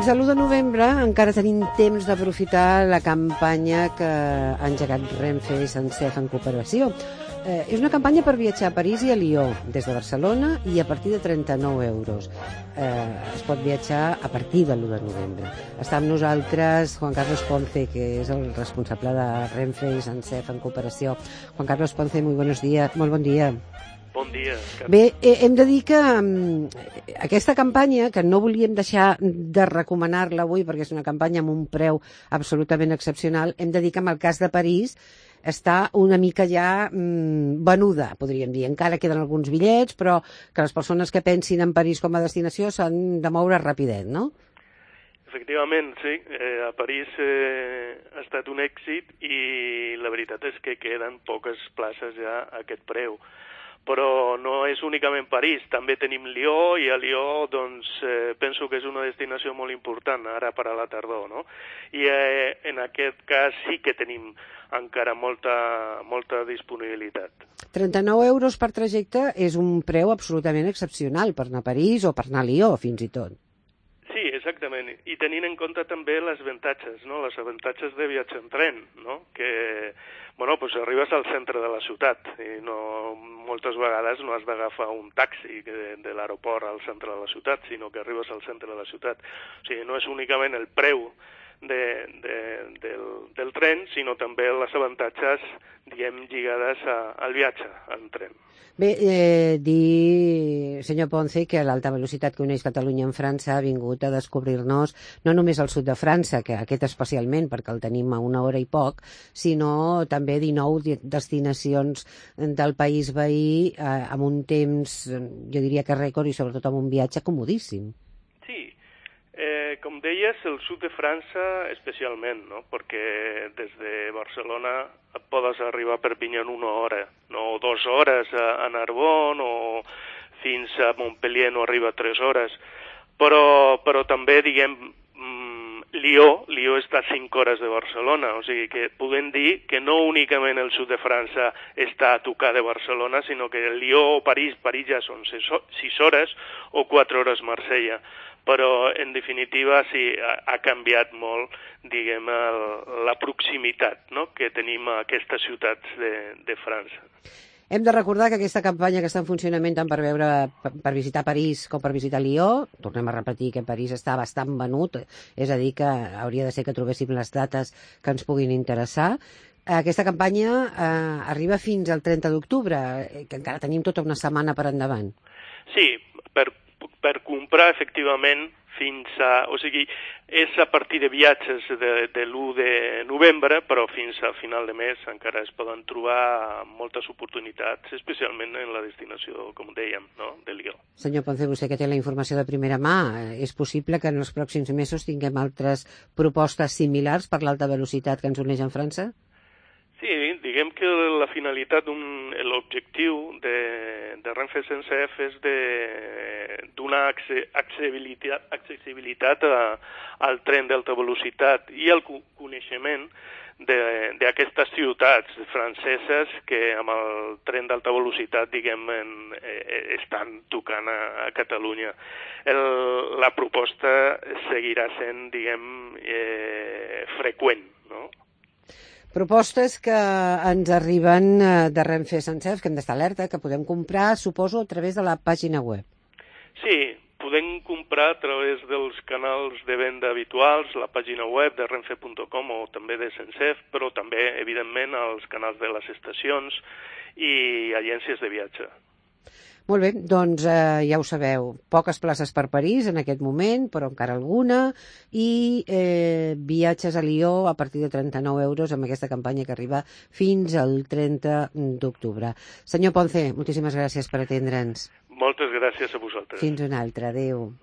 Fins a l'1 de novembre encara tenim temps d'aprofitar la campanya que ha engegat Renfe i SENCEF en cooperació. És una campanya per viatjar a París i a Lió, des de Barcelona i a partir de 39 euros. Es pot viatjar a partir de l'1 de novembre. Està amb nosaltres Juan Carlos Ponce, que és el responsable de Renfe i SENCEF en cooperació. Juan Carlos Ponce, molt bon dia. Bon dia. Bé, hem de dir que aquesta campanya, que no volíem deixar de recomanar-la avui perquè és una campanya amb un preu absolutament excepcional, hem de dir que en el cas de París està una mica ja venuda, podríem dir. Encara queden alguns bitllets, però que les persones que pensin en París com a destinació s'han de moure rapidet, no? Efectivament, sí. A París ha estat un èxit i la veritat és que queden poques places ja a aquest preu. Però no és únicament París, també tenim Lió, i a Lió doncs, penso que és una destinació molt important ara per a la tardor, no? I en aquest cas sí que tenim encara molta disponibilitat. 39 euros per trajecte és un preu absolutament excepcional per anar a París o per anar a Lió, fins i tot. Sí, exactament. I tenint en compte també les avantatges, no? Les avantatges de viatjar en tren, no? Que, bueno, pues arribes al centre de la ciutat i moltes vegades no has d'agafar un taxi de l'aeroport al centre de la ciutat, sinó que arribes al centre de la ciutat. O sigui, no és únicament el preu del tren, sinó també les avantatges, diguem, lligades al viatge en tren. Bé, dir, senyor Ponce, que l'alta velocitat que uneix Catalunya amb França ha vingut a descobrir-nos no només al sud de França, que aquest especialment, perquè el tenim a 1 hora i poc, sinó també 19 destinacions del país veí amb un temps, jo diria que rècord, i sobretot amb un viatge comodíssim. Sí, com deies, el sud de França especialment, no? Perquè des de Barcelona podes arribar a Perpinyà en 1 hora, no 2 hores a Narbonne, o fins a Montpellier no arriba a 3 hores. Però també, diguem, Lió està a 5 hores de Barcelona, o sigui que podem dir que no únicament el sud de França està a tocar de Barcelona, sinó que Lió o París ja són 6 hores o 4 hores Marsella. Però, en definitiva, sí, ha canviat molt, diguem, la proximitat, no?, que tenim a aquestes ciutats de França. Hem de recordar que aquesta campanya que està en funcionament tant per visitar París com per visitar Lió, tornem a repetir que París està bastant venut, és a dir, que hauria de ser que trobéssim les dates que ens puguin interessar. Aquesta campanya arriba fins al 30 d'octubre, que encara tenim tota una setmana per endavant. Sí, per comprar, efectivament, o sigui, és a partir de viatges de l'1 de novembre, però fins a final de mes encara es poden trobar moltes oportunitats, especialment en la destinació, com dèiem, no?, de Lió. Senyor Ponce, vostè que té la informació de primera mà, és possible que en els pròxims mesos tinguem altres propostes similars per l'alta velocitat que ens uneix amb França? Sí, diguem que la finalitat, l'objectiu de Renfe SENCEF és de donar accessibilitat al tren d'alta velocitat i al coneixement d'aquestes ciutats franceses que amb el tren d'alta velocitat, diguem, estan tocant a Catalunya. La proposta seguirà sent, diguem, freqüent, no? Propostes que ens arriben de Renfe SENCEF, que hem d'estar alerta, que podem comprar, suposo, a través de la pàgina web. Sí, podem comprar a través dels canals de venda habituals, la pàgina web de renfe.com o també de SENCEF, però també, evidentment, als canals de les estacions i agències de viatge. Molt bé, doncs ja ho sabeu, poques places per París en aquest moment, però encara alguna, i viatges a Lió a partir de 39 euros amb aquesta campanya que arriba fins al 30 d'octubre. Senyor Ponce, moltíssimes gràcies per atendre'ns. Moltes gràcies a vosaltres. Fins una altra, adéu.